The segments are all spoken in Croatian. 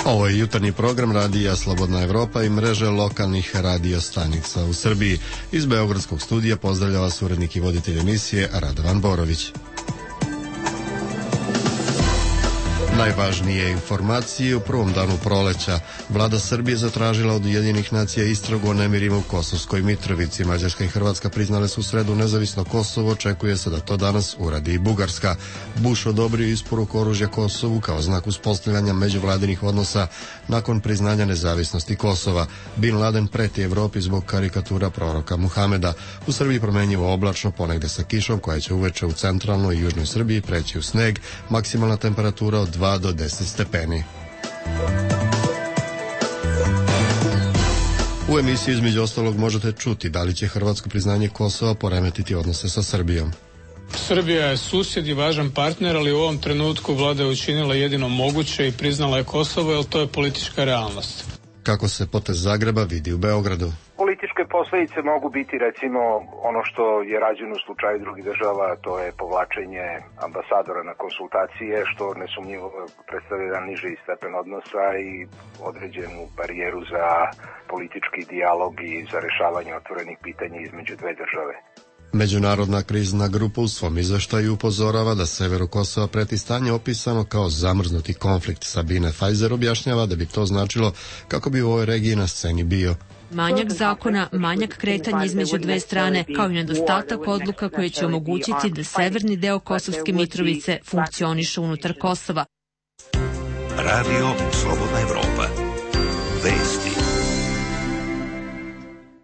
Ovo je jutarnji program radija Slobodna Evropa i mreže lokalnih radio stanica u Srbiji. Iz Beogradskog studija pozdravlja vas urednik i voditelj emisije Radovan Borović. Najvažnije informacije u prvom danu proleća. Vlada Srbije zatražila od Ujedinjenih nacija istragu o nemirima u Kosovskoj Mitrovici. Mađarska i Hrvatska priznale su u sredu nezavisno Kosovo, očekuje se da to danas uradi i Bugarska. Bush odobrio isporuku oružja Kosovu kao znak uspostavljanja međuvladinih odnosa nakon priznanja nezavisnosti Kosova. Bin Laden preti Evropi zbog karikatura proroka Muhameda. U Srbiji promenjivo oblačno, ponegde sa kišom koja će uveče u centralnoj i južnoj Srbiji preći u sneg, maksimalna temperatura od 2 do 10 stepeni. U emisiji između ostalog možete čuti da li će hrvatsko priznanje Kosova poremetiti odnose sa Srbijom. Srbija je susjed i važan partner, ali u ovom trenutku vlada je učinila jedino moguće i priznala je Kosovo, jer to je politička realnost. Kako se potez Zagreba vidi u Beogradu? Političke posljedice mogu biti recimo ono što je rađeno u slučaju drugih država, to je povlačenje ambasadora na konsultacije, što nesumnjivo predstavlja jedan niži stepen odnosa i određenu barijeru za politički dijalog i za rješavanje otvorenih pitanja između dve države. Međunarodna krizna grupa u svom izveštaju upozorava da severu Kosova preti stanje opisano kao zamrznuti konflikt. Sabine Fajzer objašnjava da bi to značilo kako bi u ovoj regiji na sceni bio manjak zakona, manjak kretanja između dve strane, kao i nedostatak odluka koje će omogućiti da severni deo Kosovske Mitrovice funkcioniše unutar Kosova. Radio Slobodna Evropa. Vesti.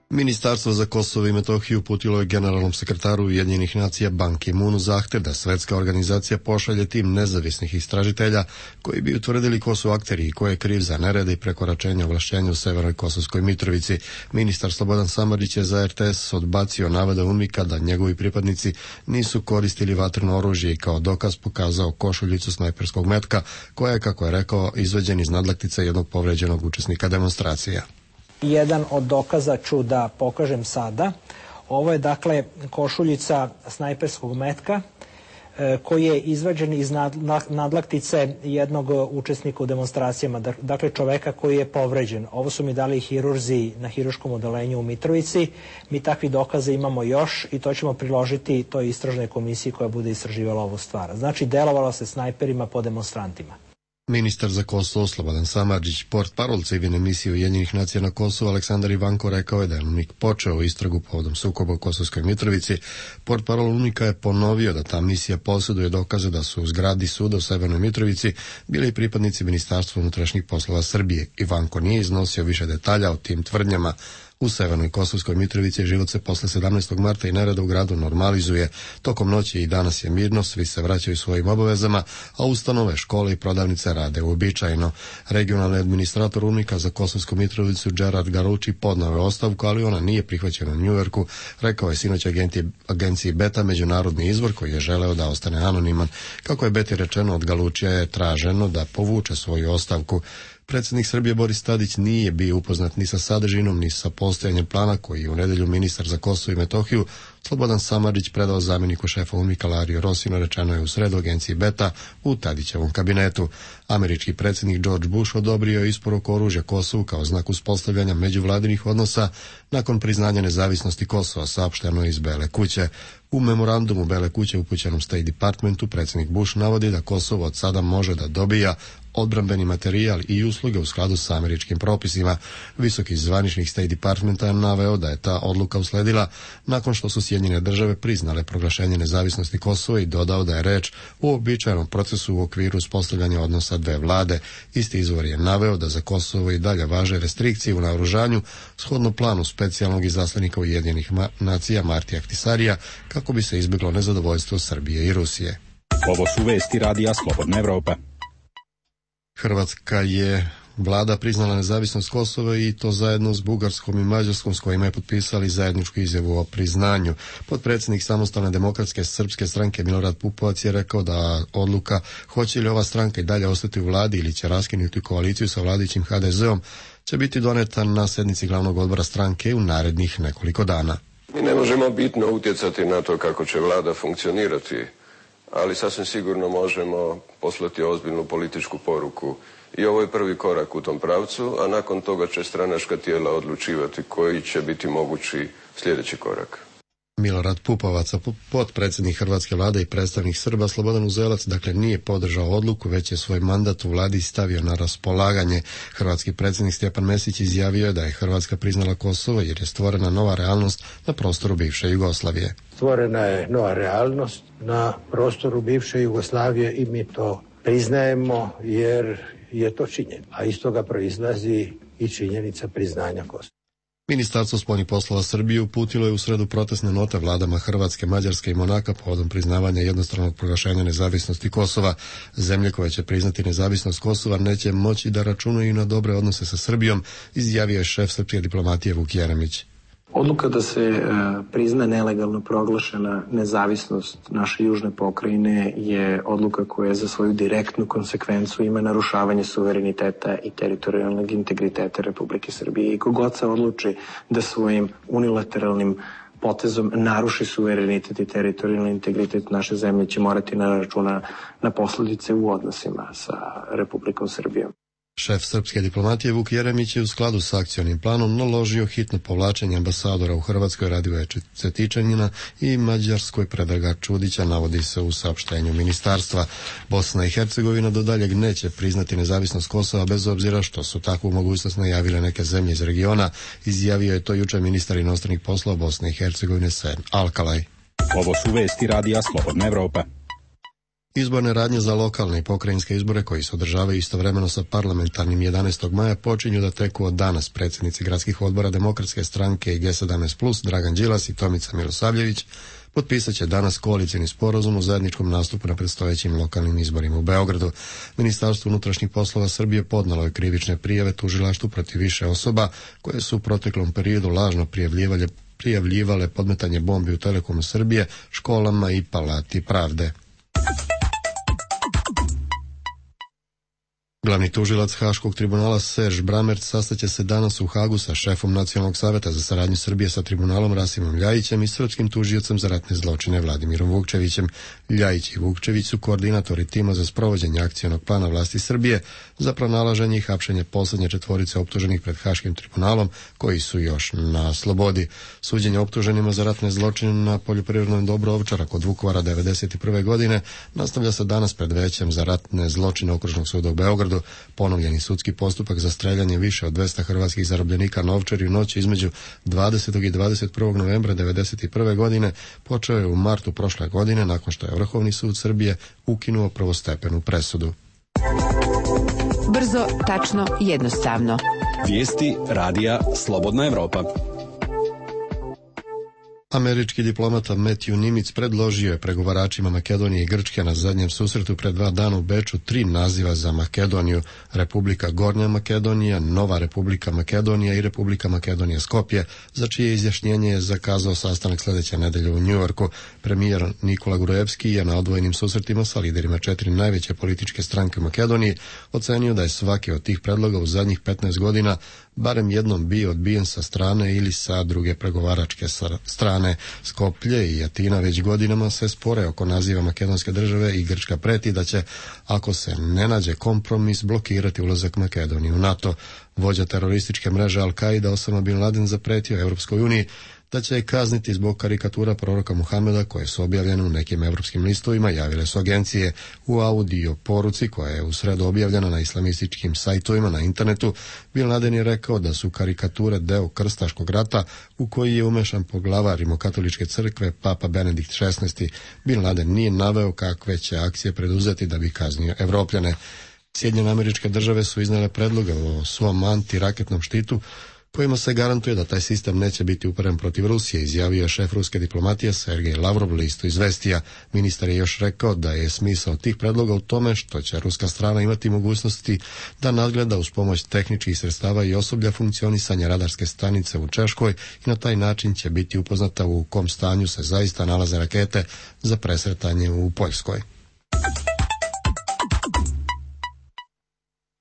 Ministarstvo za Kosovo i Metohiju uputilo je generalnom sekretaru Ujedinjenih nacija Ban Ki-moonu zahtev da svetska organizacija pošalje tim nezavisnih istražitelja koji bi utvrdili ko su akteri i ko je kriv za nerede i prekoračenja ovlašćenja u severnoj Kosovskoj Mitrovici. Ministar Slobodan Samardžić je za RTS odbacio navode UNMIK-a da njegovi pripadnici nisu koristili vatreno oružje i kao dokaz pokazao košuljicu snajperskog metka koja je, kako je rekao, izvađen iz nadlaktice jednog povređenog učesnika demonstracija. Jedan od dokaza ću da pokažem sada. Ovo je dakle košuljica snajperskog metka koji je izvađen iz nadlaktice jednog učesnika u demonstracijama, dakle čoveka koji je povređen. Ovo su mi dali hirurzi na hiruškom odeljenju u Mitrovici. Mi takvi dokaze imamo još i to ćemo priložiti toj istražnoj komisiji koja bude istraživala ovu stvar. Znači delovalo se snajperima po demonstrantima. Ministar za Kosovo Slobodan Samardžić, portparol civilne misije Ujedinjenih nacija na Kosovu Aleksandar Ivanko rekao je da je UNMIK počeo istragu povodom sukoba u Kosovskoj Mitrovici. Portparol UNMIK-a je ponovio da ta misija posjeduje dokaze da su u zgradi suda u Severnoj Mitrovici bili i pripadnici Ministarstva unutrašnjih poslova Srbije. Ivanko nije iznosio više detalja o tim tvrdnjama. U Severnoj Kosovskoj Mitrovici život se posle 17. marta i nereda u gradu normalizuje. Tokom noći i danas je mirno, svi se vraćaju svojim obavezama, a ustanove, škole i prodavnice rade uobičajeno. Regionalni administrator UNMIK-a za Kosovsku Mitrovicu Gerard Garucci podneo je ostavku, ali ona nije prihvaćena u Njujorku, rekao je sinoć agenciji Beta, međunarodni izvor koji je želeo da ostane anoniman. Kako je Beti rečeno, od Galučija je traženo da povuče svoju ostavku. Predsjednik Srbije Boris Tadić nije bio upoznat ni sa sadržinom, ni sa postojanjem plana koji je u nedelju ministar za Kosovo i Metohiju Slobodan Samardžić predao zamjeniku šefa UNMIK-a Lariju Rosinu, rečeno je u sredu agenciji Beta u Tadićevom kabinetu. Američki predsjednik George Bush odobrio je isporuku oružja Kosovu kao znak uspostavljanja međuvladinih odnosa nakon priznanja nezavisnosti Kosova, saopšteno iz Bele kuće. U memorandumu Bele kuće upućenom State Departmentu predsjednik Bush navodi da Kosovo od sada može da dobija odbrambeni materijal i usluge u skladu sa američkim propisima. Visoki zvaničnik State Departmenta je naveo da je ta odluka usledila nakon što su Sjedinjene države priznale proglašenje nezavisnosti Kosova i dodao da je reč o uobičajenom procesu u okviru uspostavljanja odnosa dve vlade. Isti izvor je naveo da za Kosovo i dalje važe restrikcije u naoružanju shodno planu specijalnog izaslanika Ujedinjenih nacija Martija Ahtisarija kako bi se izbjeglo nezadovoljstvo Srbije i Rusije. Ovo su vesti radija Slobodna Evropa. Hrvatska je vlada priznala nezavisnost Kosova i to zajedno s Bugarskom i Mađarskom s kojima je potpisali zajedničku izjavu o priznanju. Potpredsjednik Samostalne demokratske srpske stranke Milorad Pupovac je rekao da odluka hoće li ova stranka i dalje ostati u vladi ili će raskinuti koaliciju sa vladajućim HDZ-om će biti doneta na sjednici glavnog odbora stranke u narednih nekoliko dana. Mi ne možemo bitno utjecati na to kako će vlada funkcionirati, ali sasvim sigurno možemo poslati ozbiljnu političku poruku I ovo je prvi korak u tom pravcu, a nakon toga će stranačka tijela odlučivati koji će biti mogući sljedeći korak. Milorad Pupovac, potpredsjednik Hrvatske vlade i predstavnik Srba Slobodan Uzelac, dakle nije podržao odluku, već je svoj mandat u vladi stavio na raspolaganje. Hrvatski predsjednik Stjepan Mesić izjavio je da je Hrvatska priznala Kosovo jer je stvorena nova realnost na prostoru bivše Jugoslavije. Stvorena je nova realnost na prostoru bivše Jugoslavije i mi to priznajemo jer je to činjenica, a iz toga proizlazi i činjenica priznanja Kosova. Ministarstvo spoljnih poslova Srbije uputilo je u sredu protestne note vladama Hrvatske, Mađarske i Monaka povodom priznavanja jednostranog proglašenja nezavisnosti Kosova. Zemlje koje će priznati nezavisnost Kosova neće moći da računaju na dobre odnose sa Srbijom, izjavio je šef srpske diplomatije Vuk Jeremić. Odluka da se prizna nelegalno proglašena nezavisnost naše južne pokrajine je odluka koja za svoju direktnu konsekvencu ima narušavanje suvereniteta i teritorijalnog integriteta Republike Srbije. I kogod se odluči da svojim unilateralnim potezom naruši suverenitet i teritorijalni integritet naše zemlje će morati na računa na posledice u odnosima sa Republikom Srbijom. Šef srpske diplomatije Vuk Jeremić je u skladu s akcionim planom naložio hitno povlačenje ambasadora u Hrvatskoj Radivoja Cetičanina i Mađarskoj Predraga Čudića, navodi se u saopštenju ministarstva. Bosna i Hercegovina do daljeg neće priznati nezavisnost Kosova bez obzira što su takvu mogućnost najavile neke zemlje iz regiona, izjavio je to jučer ministar inostranih poslova Bosne i Hercegovine Sen Alkalaj. Ovo su vesti Radija Slobodna Evropa. Izborne radnje za lokalne i pokrajinske izbore koji se održavaju istovremeno sa parlamentarnim 11. maja počinju da teku od danas. Predsjednici gradskih odbora Demokratske stranke i G17+, Dragan Đilas i Tomica Milosavljević, potpisat će danas koalicijni sporazum u zajedničkom nastupu na predstojećim lokalnim izborima u Beogradu. Ministarstvo unutrašnjih poslova Srbije podnalo je krivične prijave tužilaštvu protiv više osoba koje su u proteklom periodu lažno prijavljivale podmetanje bombi u Telekomu Srbije, školama i Palati pravde. Glavni tužilac Haškog tribunala Serž Bramert sastaće se danas u Hagu sa šefom Nacionalnog saveta za saradnju Srbije sa tribunalom Rasimom Ljajićem i srpskim tužiocem za ratne zločine Vladimirom Vukčevićem. Ljajić i Vukčević su koordinatori tima za sprovođenje akcionog plana vlasti Srbije za pronalaženje i hapšenje posljednje četvorice optuženih pred Haškim tribunalom koji su još na slobodi. Suđenje optuženima za ratne zločine na poljoprivrednom dobru Ovčara kod Vukovara 1991. godine nastavlja se danas pred većem za ratne zločine Okružnog suda u Beogradu. Ponovljeni sudski postupak za streljanje više od 200 hrvatskih zarobljenika na Ovčari u noći između 20. i 21. novembra 1991. godine počeo je u martu prošle godine nakon što je Vrhovni sud Srbije ukinuo prvostepenu presudu. Brzo, tačno, jednostavno. Vijesti Radija Slobodna Evropa. Američki diplomata Matthew Nimitz predložio je pregovaračima Makedonije i Grčke na zadnjem susretu pred 2 dana u Beču 3 naziva za Makedoniju: Republika Gornja Makedonija, Nova Republika Makedonija i Republika Makedonija Skopje, za čije izjašnjenje je zakazao sastanak sljedeće nedelje u Njujorku. Premijer Nikola Grujevski je na odvojenim susretima sa liderima 4 najveće političke stranke u Makedoniji ocenio da je svaki od tih predloga u zadnjih 15 godina barem jednom bio odbijen sa strane ili sa druge pregovaračke strane. Skoplje i Atina već godinama se spore oko naziva makedonske države i Grčka preti da će, ako se ne nađe kompromis, blokirati ulazak Makedonije u NATO. Vođa terorističke mreže Al-Qaida Osama Bin Laden zapretio Europskoj uniji da će je kazniti zbog karikatura proroka Muhameda koje su objavljene u nekim europskim listovima, javile su agencije. U audio poruci koja je u sredu objavljena na islamističkim sajtovima na internetu, Bin Laden je rekao da su karikature deo krstaškog rata u koji je umešan poglavar Rimokatoličke crkve Papa Benedikt XVI. Bin Laden nije naveo kakve će akcije preduzeti da bi kaznio Evropljane. Sjedinjene Američke Države su iznijele predloge o svom antiraketnom štitu kojima se garantuje da taj sistem neće biti uperen protiv Rusije, izjavio je šef ruske diplomatije Sergej Lavrov listu Izvestija. Ministar je još rekao da je smisao tih predloga u tome što će ruska strana imati mogućnosti da nadgleda uz pomoć tehničkih sredstava i osoblja funkcionisanja radarske stanice u Češkoj i na taj način će biti upoznata u kom stanju se zaista nalaze rakete za presretanje u Poljskoj.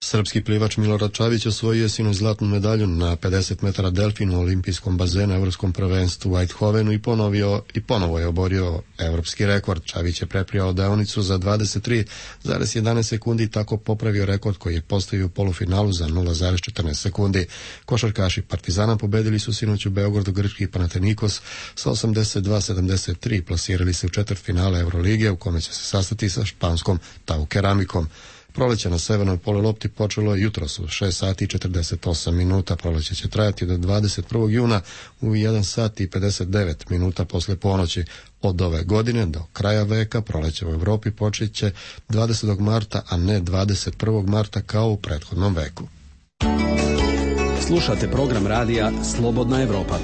Srpski plivač Milorad Čavić osvojio je sinoć zlatnu medalju na 50 metara delfinu u olimpijskom bazenu Evropskom prvenstvu u Eindhovenu i ponovo je oborio evropski rekord. Čavić je preprijao deonicu za 23,11 sekundi i tako popravio rekord koji je postavio u polufinalu za 0,14 sekundi. Košarkaši Partizana pobedili su sinoć u Beogradu grčki Panathinaikos sa 82-73, plasirali se u četvrtfinale Eurolige u kome će se sastati sa španskom Tau Keramikom. Proleće na severnoj polulopti počelo je jutros u 6 sati i 48 minuta. Proleće će trajati do 21. juna u 1 sat i 59 minuta posle ponoći. Od ove godine do kraja veka proleće u Evropi počeće 20. marta, a ne 21. marta kao u prethodnom veku. Slušate program radija Slobodna Evropa.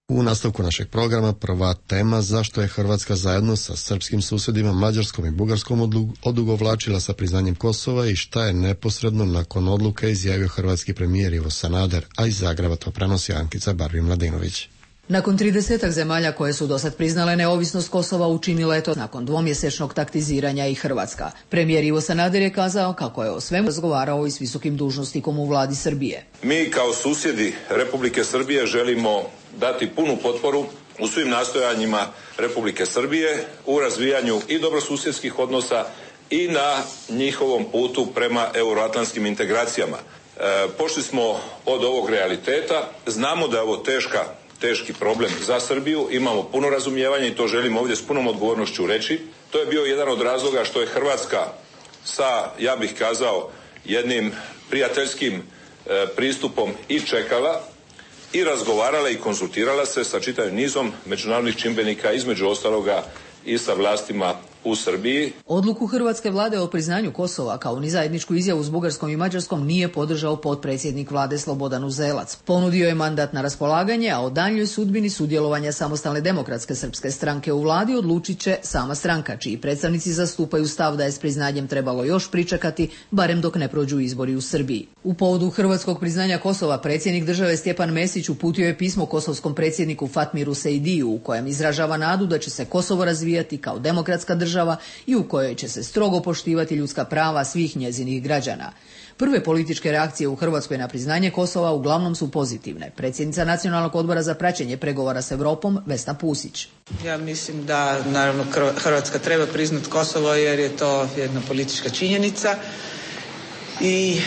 U nastavku našeg programa prva tema zašto je Hrvatska zajedno sa srpskim susjedima Mađarskom i Bugarskom odugovlačila sa priznanjem Kosova i šta je neposredno nakon odluke izjavio hrvatski premijer Ivo Sanader, a iz Zagreba to prenosi Ankica Barbir-Mladinović. Nakon 30 zemalja koje su dosad priznale neovisnost Kosova, učinila je to nakon dvomjesečnog taktiziranja i Hrvatska. Premijer Ivo Sanader je kazao kako je o svemu razgovarao i s visokim dužnosnikom u vladi Srbije. Mi kao susjedi Republike Srbije želimo dati punu potporu u svim nastojanjima Republike Srbije u razvijanju i dobrosusjedskih odnosa i na njihovom putu prema euroatlantskim integracijama. Pošli smo od ovog realiteta, znamo da je ovo teški problem za Srbiju, imamo puno razumijevanja i to želim ovdje s punom odgovornošću reći. To je bio jedan od razloga što je Hrvatska sa, ja bih kazao, jednim prijateljskim pristupom i čekala i razgovarala i konzultirala se sa čitavim nizom međunarodnih čimbenika, između ostaloga i sa vlastima u Srbiji. Odluku hrvatske vlade o priznanju Kosova kao ni zajedničku izjavu s Bugarskom i Mađarskom nije podržao potpredsjednik vlade Slobodan Uzelac. Ponudio je mandat na raspolaganje, a o daljnjoj sudbini sudjelovanja Samostalne demokratske srpske stranke u vladi odlučit će sama stranka, čiji predstavnici zastupaju stav da je s priznanjem trebalo još pričekati, barem dok ne prođu izbori u Srbiji. U povodu hrvatskog priznanja Kosova predsjednik države Stjepan Mesić uputio je pismo kosovskom predsjedniku Fatmiru Sejdiju u kojem izražava nadu da će se Kosovo razvijati kao demokratska država i u kojoj će se strogo poštivati ljudska prava svih njezinih građana. Prve političke reakcije u Hrvatskoj na priznanje Kosova uglavnom su pozitivne. Predsjednica Nacionalnog odbora za praćenje pregovora s Europom, Vesna Pusić. Ja mislim da naravno Hrvatska treba priznati Kosovo jer je to jedna politička činjenica i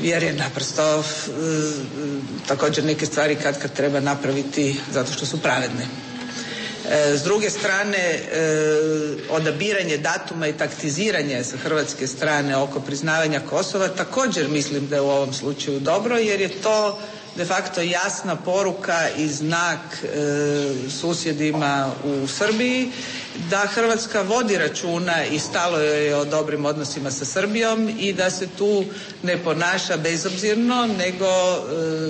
jer je naprosto također neke stvari kad treba napraviti zato što su pravedne. S druge strane, odabiranje datuma i taktiziranje sa hrvatske strane oko priznavanja Kosova također mislim da je u ovom slučaju dobro, jer je to de facto jasna poruka i znak susjedima u Srbiji da Hrvatska vodi računa i stalo joj je o dobrim odnosima sa Srbijom i da se tu ne ponaša bezobzirno, nego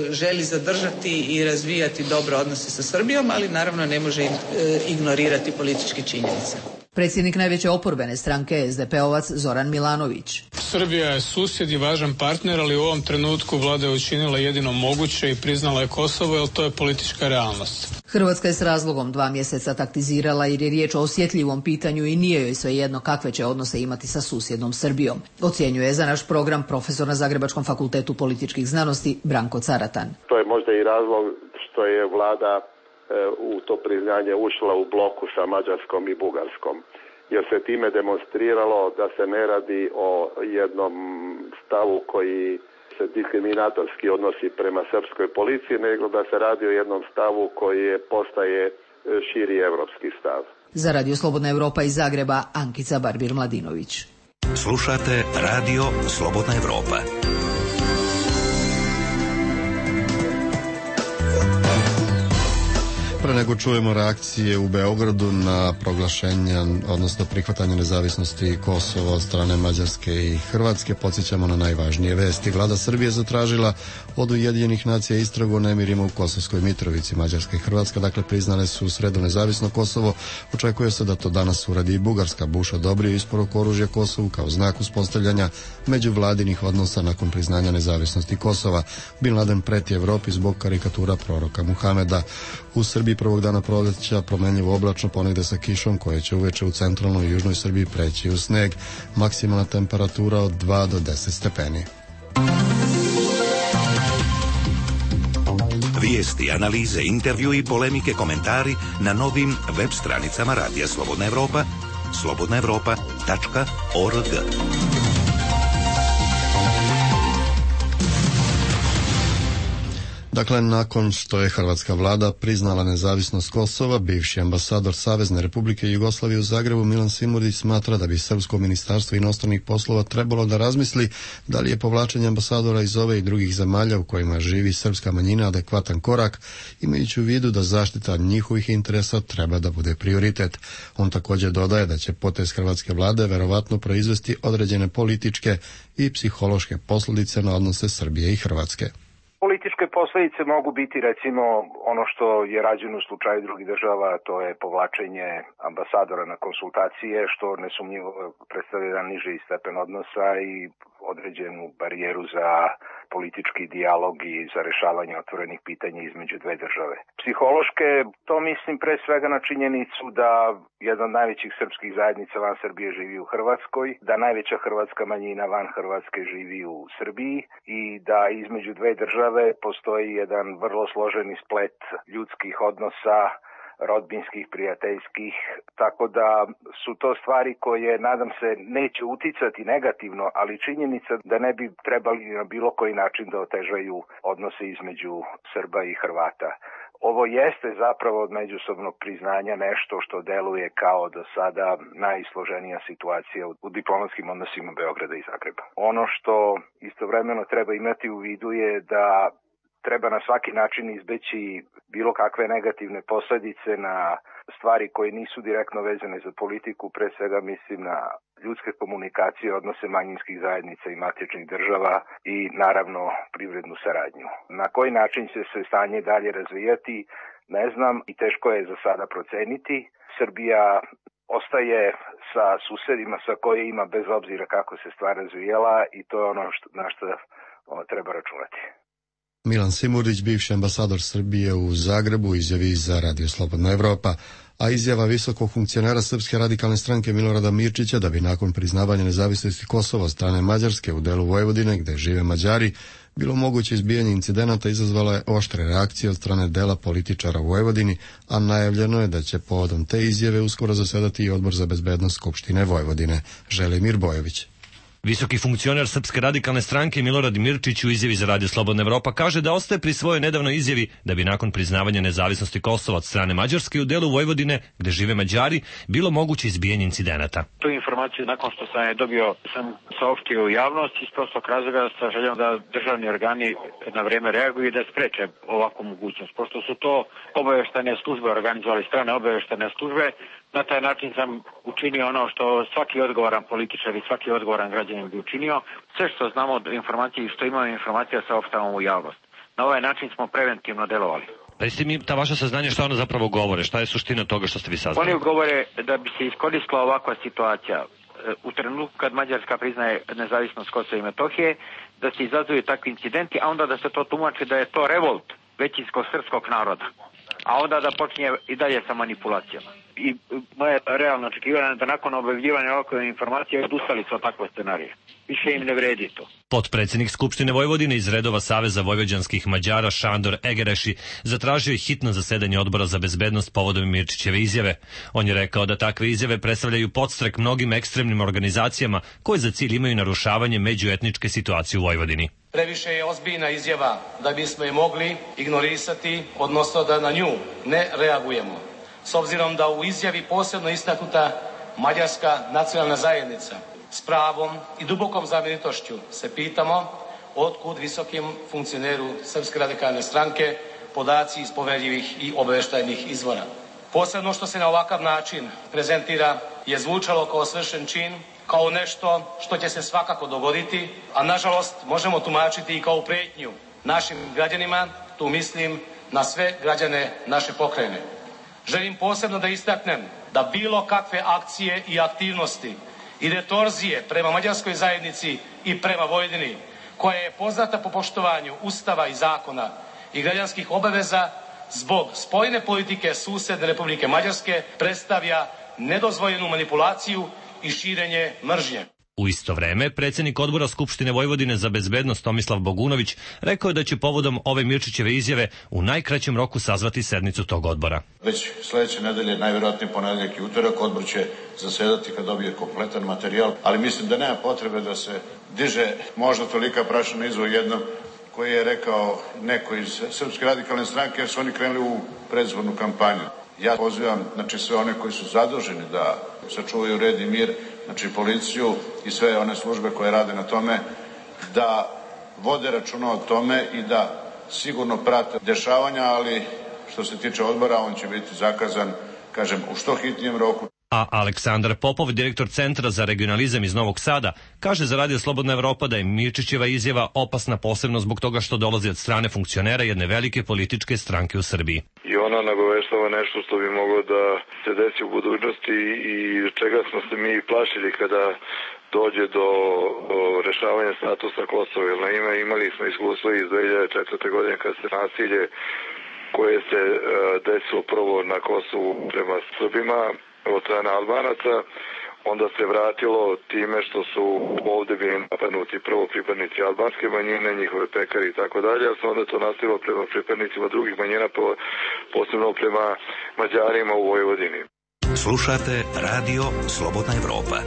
želi zadržati i razvijati dobre odnose sa Srbijom, ali naravno ne može ignorirati političke činjenice. Predsjednik najveće oporbene stranke SDP-ovac Zoran Milanović. Srbija je susjed i važan partner, ali u ovom trenutku vlada je učinila jedino moguće i priznala je Kosovo, jer to je politička realnost. Hrvatska je s razlogom 2 mjeseca taktizirala jer je riječ o osjetljivom pitanju i nije joj svejedno kakve će odnose imati sa susjednom Srbijom. Ocjenjuje za naš program profesor na Zagrebačkom fakultetu političkih znanosti Branko Caratan. To je možda i razlog što je vlada u to priznanje ušla u bloku sa Mađarskom i Bugarskom, jer se time demonstriralo da se ne radi o jednom stavu koji se diskriminatorski odnosi prema srpskoj policiji, nego da se radi o jednom stavu koji postaje širi evropski stav. Za Radio Slobodna Evropa iz Zagreba, Ankica Barbir-Mladinović. Slušate Radio Slobodna Evropa. Pre nego čujemo reakcije u Beogradu na proglašenje, odnosno prihvatanje nezavisnosti Kosova od strane Mađarske i Hrvatske, podsjećamo na najvažnije vesti. Vlada Srbije zatražila od Ujedinjenih nacija istragu o nemirima u Kosovskoj Mitrovici. Mađarska i Hrvatska dakle priznale su u sredu nezavisno Kosovo. Očekuje se da to danas uradi i Bugarska. Bush odobrio isporuku oružja Kosovu kao znak uspostavljanja međuvladinih odnosa nakon priznanja nezavisnosti Kosova. Bin Laden preti Evropi zbog karikatura proroka Muhameda. U Srbiji prvog dana proleća promenljivo oblačno, ponegde sa kišom koja će uveče u centralnoj i južnoj Srbiji preći u sneg. Maksimalna temperatura od 2 do 10 stepeni. Vijesti, analize, intervju i polemike, komentari na novim web stranicama Radija Slobodna Evropa, slobodnaevropa.org. Dakle, nakon što je hrvatska vlada priznala nezavisnost Kosova, bivši ambasador Savezne Republike Jugoslavije u Zagrebu Milan Simurdić smatra da bi Srpsko ministarstvo inostranih poslova trebalo da razmisli da li je povlačenje ambasadora iz ove i drugih zemalja u kojima živi srpska manjina adekvatan korak, imajući u vidu da zaštita njihovih interesa treba da bude prioritet. On također dodaje da će potez hrvatske vlade verovatno proizvesti određene političke i psihološke posljedice na odnose Srbije i Hrvatske. Političke posljedice mogu biti recimo ono što je rađeno u slučaju drugih država, to je povlačenje ambasadora na konsultacije, što nesumnjivo predstavlja jedan niži stepen odnosa i određenu barijeru za politički dijalog i za rešavanje otvorenih pitanja između dve države. Psihološke, to mislim pre svega na činjenicu da jedna od najvećih srpskih zajednica van Srbije živi u Hrvatskoj, da najveća hrvatska manjina van Hrvatske živi u Srbiji i da između dve države postoji jedan vrlo složeni splet ljudskih odnosa, rodbinskih, prijateljskih, tako da su to stvari koje, nadam se, neće uticati negativno, ali činjenica da ne bi trebali na bilo koji način da otežaju odnose između Srba i Hrvata. Ovo jeste zapravo od međusobnog priznanja nešto što deluje kao do sada najsloženija situacija u diplomatskim odnosima Beograda i Zagreba. Ono što istovremeno treba imati u vidu je da treba na svaki način izbeći bilo kakve negativne posljedice na stvari koje nisu direktno vezane za politiku, pre svega mislim na ljudske komunikacije, odnose manjinskih zajednica i matičnih država i naravno privrednu saradnju. Na koji način će se stanje dalje razvijati, ne znam i teško je za sada proceniti. Srbija ostaje sa susedima sa koje ima bez obzira kako se stvar razvijela i to je ono na što treba računati. Milan Simurdić, bivši ambasador Srbije u Zagrebu, izjavi za Radio Slobodna Evropa, a izjava visokog funkcionera Srpske radikalne stranke Milorada Mirčića da bi nakon priznavanja nezavisnosti Kosova od strane Mađarske u delu Vojvodine, gde žive Mađari, bilo moguće izbijanje incidenata, izazvala je oštre reakcije od strane dela političara u Vojvodini, a najavljeno je da će povodom te izjave uskoro zasedati i Odbor za bezbednost Skupštine Vojvodine. Želimir Bojović. Visoki funkcioner Srpske radikalne stranke Milorad Mirčić u izjavi za Radio Slobodna Evropa kaže da ostaje pri svojoj nedavnoj izjavi da bi nakon priznavanja nezavisnosti Kosova od strane Mađarske u delu Vojvodine, gde žive Mađari, bilo moguće izbijanje incidenata. Tu informaciju nakon što sam je dobio sam saopštio u javnost iz prostog razloga sa željom da državni organi na vreme reaguju i da spreče ovakvu mogućnost. Pošto su to obaveštane službe organizovali, strane obaveštane službe, na taj način sam učinio ono što svaki odgovoran političar i svaki odgovoran građanin bi učinio. Sve što znamo od informacije i što imamo informacija saopštavamo u javnost. Na ovaj način smo preventivno delovali. Recite mi, ta vaša saznanja šta ona zapravo govore? Šta je suština toga što ste vi saznali? Oni govore da bi se iskoristila ovakva situacija u trenutku kad Mađarska priznaje nezavisnost Kosova i Metohije, da se izazuju takvi incidenti, a onda da se to tumači da je to revolt većinskog srpskog naroda. A onda da počinje i dalje sa manipulacijama. I moje realno očekivanje da nakon objavljivanja ovakve informacije odustali su od takve scenarije. Više im ne vredi to. Potpredsjednik Skupštine Vojvodine iz redova Saveza vojvođanskih Mađara Šandor Egereši zatražio je hitno zasedanje Odbora za bezbednost povodom Mirčićeve izjave. On je rekao da takve izjave predstavljaju podstrek mnogim ekstremnim organizacijama koje za cilj imaju narušavanje međuetničke situacije u Vojvodini. Previše je ozbiljna izjava da bismo je mogli ignorisati, odnosno da na nju ne reagujemo. S obzirom da u izjavi posebno istaknuta Mađarska nacionalna zajednica s pravom i dubokom zabrinutošću se pitamo otkud visokim funkcioneru Srpske radikalne stranke podaci iz poverljivih i obaveštajnih izvora. Posebno što se na ovakav način prezentira je zvučalo kao svršen čin, kao nešto što će se svakako dogoditi, a nažalost možemo tumačiti i kao prijetnju našim građanima, tu mislim na sve građane naše pokrajine. Želim posebno da istaknem da bilo kakve akcije i aktivnosti i retorzije prema mađarskoj zajednici i prema Vojvodini, koja je poznata po poštovanju Ustava i zakona i građanskih obaveza, zbog spoljne politike susedne Republike Mađarske predstavlja nedozvoljenu manipulaciju i širenje mržnje. U isto vreme, predsjednik odbora Skupštine Vojvodine za bezbednost Tomislav Bogunović rekao je da će povodom ove Mirčićeve izjave u najkraćem roku sazvati sednicu tog odbora. Već sledeće nedelje, najverovatnije ponedeljak i utorak, odbor će zasedati kad dobije kompletan materijal, ali mislim da nema potrebe da se diže možda tolika prašina izvoj jednom koji je rekao neko iz Srpske radikalne stranke, jer su oni krenuli u predizbornu kampanju. Ja pozivam sve one koji su zaduženi da sačuvaju red i mir, policiju i sve one službe koje rade na tome, da vode računa o tome i da sigurno prate dešavanja, ali što se tiče odbora, on će biti zakazan, u što hitnijem roku. A Aleksandar Popov, direktor Centra za regionalizam iz Novog Sada, kaže za Radio Slobodna Evropa da je Mirčićeva izjava opasna posebno zbog toga što dolazi od strane funkcionera jedne velike političke stranke u Srbiji. I ona nagoveštava nešto što bi moglo da se desi u budućnosti i čega smo se mi plašili kada dođe do rešavanja statusa Kosova. Jer naime imali smo iskustvo iz 2004. godine kad se nasilje koje se desilo prvo na Kosovu prema Srbima od strane Albanaca, onda se vratilo time što su ovde bili napadnuti prvo pripadnici albanske manjine, njihove pekari i tako dalje, ali se onda to nastavilo prema pripadnicima drugih manjina, posebno prema Mađarima u Vojvodini. Slušate Radio Slobodna Evropa.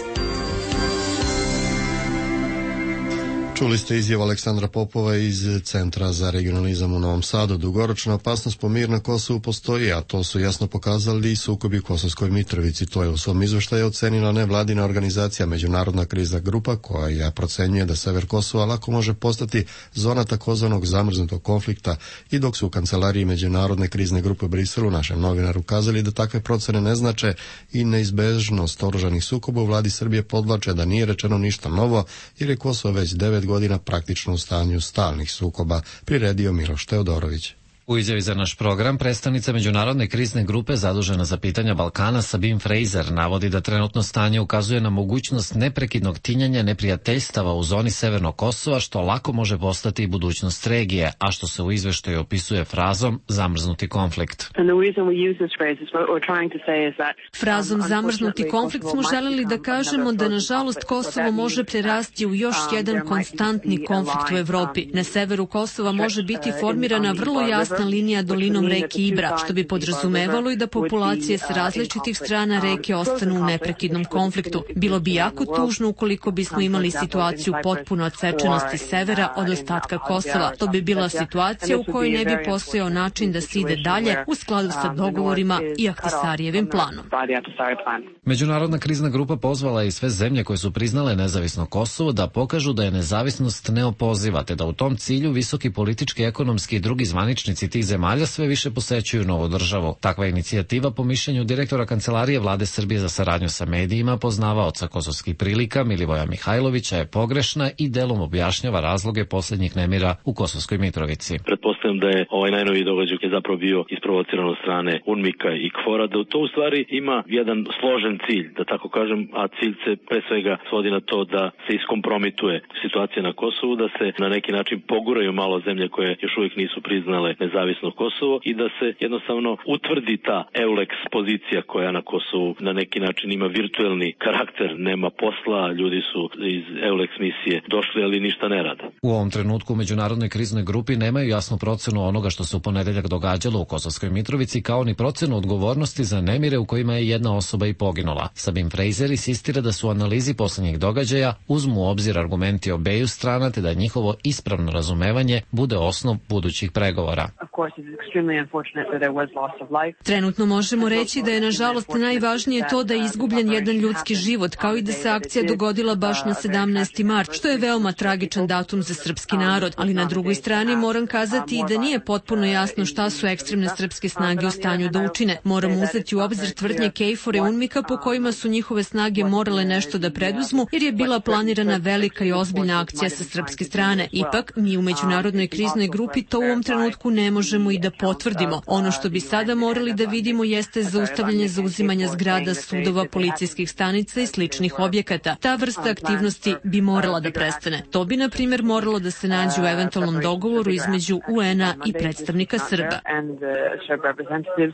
Čuli ste izjavu Aleksandra Popova iz Centra za regionalizam u Novom Sadu. Dugoročna opasnost po mir na Kosovu postoji, a to su jasno pokazali i sukobi u Kosovskoj Mitrovici. To je u svom izveštaju ocenila nevladina organizacija Međunarodna krizna grupa, koja procenjuje da sever Kosova lako može postati zona takozvanog zamrznutog konflikta, i dok su u kancelariji Međunarodne krizne grupe u Briselu našem novinaru kazali da takve procene ne znače i neizbežnost oružanih sukoba, u vladi Srbije podvlače da nije rečeno ništa novo, jer je Kosovo već 9 godina praktično u stanju stalnih sukoba, priredio Miloš Teodorović. U izjavi za naš program, predstavnica Međunarodne krizne grupe zadužena za pitanja Balkana Sabine Fraser navodi da trenutno stanje ukazuje na mogućnost neprekidnog tinjanja neprijateljstava u zoni Severnog Kosova, što lako može postati i budućnost regije, a što se u izveštaju opisuje frazom zamrznuti konflikt. Frazom zamrznuti konflikt smo želeli da kažemo da nažalost Kosovo može prerasti u još jedan konstantni konflikt u Evropi. Na severu Kosova može biti formirana vrlo jasna linija dolinom reke Ibra, što bi podrazumevalo i da populacije s različitih strana reke ostanu u neprekidnom konfliktu. Bilo bi jako tužno ukoliko bismo imali situaciju potpuno odsečenosti severa od ostatka Kosova. To bi bila situacija u kojoj ne bi postojao način da se ide dalje u skladu sa dogovorima i Ahtisarijevim planom. Međunarodna krizna grupa pozvala i sve zemlje koje su priznale nezavisno Kosovo da pokažu da je nezavisnost neopoziva, te da u tom cilju visoki politički, ekonomski i drugi zvaničnici tih zemalja sve više posećuju novu državu. Takva inicijativa, po mišljenju direktora Kancelarije Vlade Srbije za saradnju sa medijima, poznavaoca kosovskih prilika Milivoja Mihajlovića, je pogrešna i delom objašnjava razloge posljednjih nemira u Kosovskoj Mitrovici. Pretpostavljam da je ovaj najnoviji događaj je zapravo bio isprovociran od strane UNMIK-a i KFOR-a, da to u stvari ima jedan složen cilj, da tako kažem, a cilj se pre svega svodi na to da se iskompromituje situacija na Kosovu, da se na neki način poguraju malo zemlje koje još uvijek nisu priznale nezavisno Kosovo i da se jednostavno utvrdi ta EULEX pozicija koja na Kosovu na neki način ima virtuelni karakter, nema posla, ljudi su iz EULEX misije došli, ali ništa ne rade. U ovom trenutku u Međunarodnoj kriznoj grupi nemaju jasnu procenu onoga što se u ponedeljak događalo u Kosovskoj Mitrovici, kao ni procenu odgovornosti za nemire u kojima je jedna osoba i poginula. Sabine Fraser insistira da su u analizi posljednjih događaja uzmu u obzir argumenti obeju strana, te da njihovo ispravno razumevanje bude osnov budućih pregovora. Trenutno možemo reći da je nažalost najvažnije to da je izgubljen jedan ljudski život, kao i da se akcija dogodila baš na 17. mart, što je veoma tragičan datum za srpski narod, ali na drugoj strani moram kazati i da nije potpuno jasno šta su ekstremne srpske snage u stanju da učine. Moramo uzeti u obzir tvrdnje KFOR-a i UNMIK-a po kojima su njihove snage morale nešto da preduzmu, jer je bila planirana velika i ozbiljna akcija sa srpske strane. Ipak, mi u Međunarodnoj kriznoj grupi to u ovom trenutku ne možemo možemo i da potvrdimo. Ono što bi sada morali da vidimo jeste zaustavljanje zauzimanja zgrada, sudova, policijskih stanica i sličnih objekata. Ta vrsta aktivnosti bi morala da prestane. To bi, na primjer, moralo da se nađe u eventualnom dogovoru između UN-a i predstavnika Srba.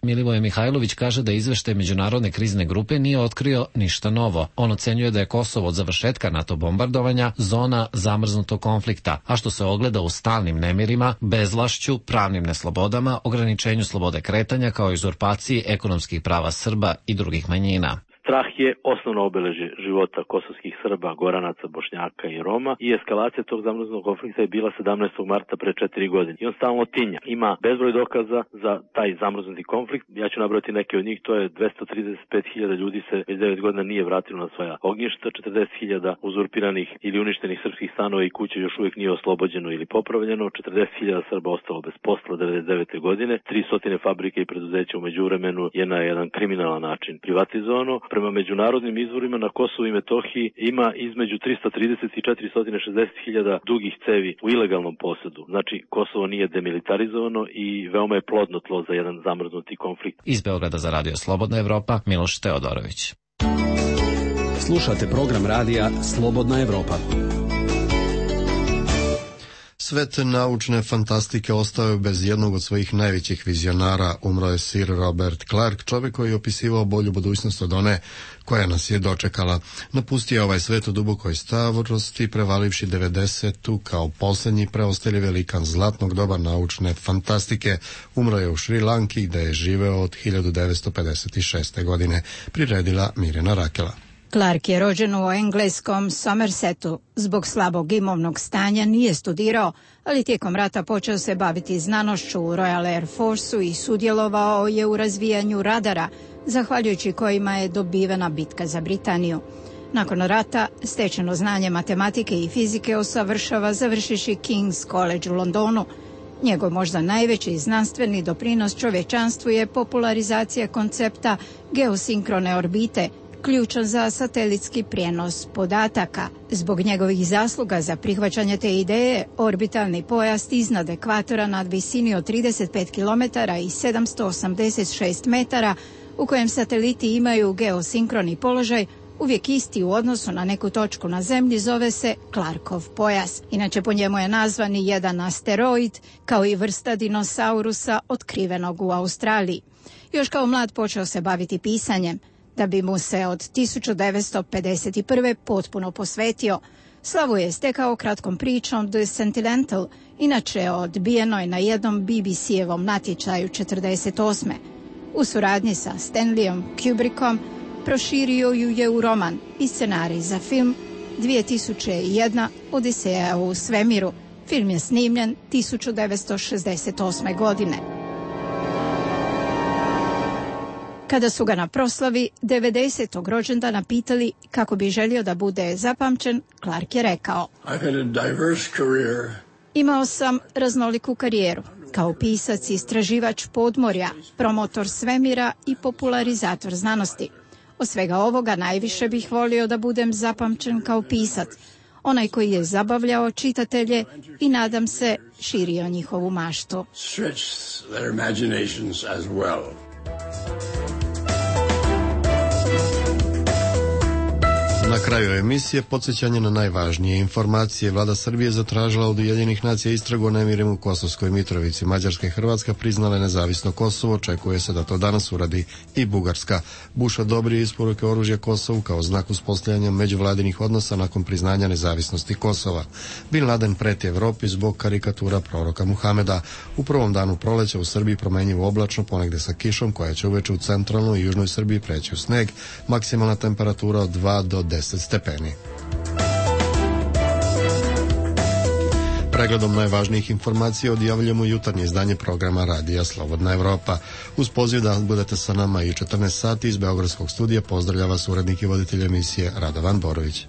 Milivoje Mihajlović kaže da izveštaj Međunarodne krizne grupe nije otkrio ništa novo. On ocenjuje da je Kosovo od završetka NATO bombardovanja zona zamrznutog konflikta, a što se ogleda u stalnim nemirima, bezvlašću, pravnim neslobodama, ograničenju slobode kretanja kao i uzurpaciji ekonomskih prava Srba i drugih manjina. Strah je osnovno obeležje života kosovskih Srba, Goranaca, Bošnjaka i Roma i eskalacija tog zamrznunog konflikta je bila 17. marta pre 4 godine. I on stalno tinja. Ima bezbroj dokaza za taj zamrznuti konflikt. Ja ću nabrati neke od njih. To je 235.000 ljudi se već 9 godina nije vratilo na svoja ognjišta, 40.000 uzurpiranih ili uništenih srpskih stanova i kuća još uvijek nije oslobođeno ili popravljeno, 40.000 Srba ostalo bez posla 99. godine, 300 fabrike i preduzeća u međuvremenu je na jedan kriminalan način privatizovano. Prema međunarodnim izvorima na Kosovu i Metohiji ima između 330 i 460.000 dugih cevi u ilegalnom posedu. Znači, Kosovo nije demilitarizovano i veoma je plodno tlo za jedan zamrznuti konflikt. Iz Beograda za Radio Slobodna Evropa, Miloš Teodorović. Slušate program radija Slobodna Evropa. Svet naučne fantastike ostao je bez jednog od svojih najvećih vizionara. Umro je Sir Robert Clark, čovjek koji je opisivao bolju budućnost od one koja nas je dočekala. Napustio je ovaj svet u dubokoj starosti, prevalivši 90-tu kao posljednji preostali velikan zlatnog doba naučne fantastike. Umro je u Šri Lanki gde je živeo od 1956. godine, priredila Mirjana Rakela. Clark je rođen u engleskom Somersetu. Zbog slabog imovnog stanja nije studirao, ali tijekom rata počeo se baviti znanošću u Royal Air Forceu i sudjelovao je u razvijanju radara, zahvaljujući kojima je dobivena bitka za Britaniju. Nakon rata stečeno znanje matematike i fizike usavršava završivši King's College u Londonu. Njegov možda najveći znanstveni doprinos čovječanstvu je popularizacija koncepta geosinkrone orbite, ključan za satelitski prijenos podataka. Zbog njegovih zasluga za prihvaćanje te ideje, orbitalni pojas iznad ekvatora nad visini od 35 km i 786 metara, u kojem sateliti imaju geosinkroni položaj, uvijek isti u odnosu na neku točku na Zemlji, zove se Clarkov pojas. Inače, po njemu je nazvan i jedan asteroid, kao i vrsta dinosaurusa otkrivenog u Australiji. Još kao mlad počeo se baviti pisanjem, da bi mu se od 1951. potpuno posvetio. Slavu je stekao kratkom pričom The Sentinel, inače odbijenoj na jednom BBC-evom natječaju 1948. U suradnji sa Stanleyom Kubrickom proširio ju je u roman i scenarij za film 2001. Odiseja u svemiru. Film je snimljen 1968. godine. Kada su ga na proslavi 90. rođendana pitali kako bi želio da bude zapamćen, Clark je rekao: Imao sam raznoliku karijeru. Kao pisac i istraživač podmorja, promotor svemira i popularizator znanosti. Od svega ovoga najviše bih volio da budem zapamćen kao pisac, onaj koji je zabavljao čitatelje i, nadam se, širio njihovu maštu. Na kraju emisije podsjećanje na najvažnije informacije. Vlada Srbije zatražila od Ujedinjenih nacija istragu o nemirima u Kosovskoj Mitrovici. Mađarska i Hrvatska priznale nezavisno Kosovo, očekuje se da to danas uradi i Bugarska. Bush odobrio isporuke oružja Kosovu kao znak uspostavljanja međuvladinih odnosa nakon priznanja nezavisnosti Kosova. Bin Laden preti Evropi zbog karikatura proroka Muhameda. U prvom danu proleća u Srbiji promjenjivo oblačno, ponegde sa kišom koja će uveče u centralnoj i južnoj Srbiji preći u sneg. Maksimalna temperatura od 2 do 10 stepeni. Pregledom najvažnijih informacija odjavljujemo jutarnje izdanje programa Radija Slobodna Evropa. Uz poziv da budete sa nama i 14 sati iz Beogradskog studija pozdravlja vas urednik i voditelj emisije Radovan Borović.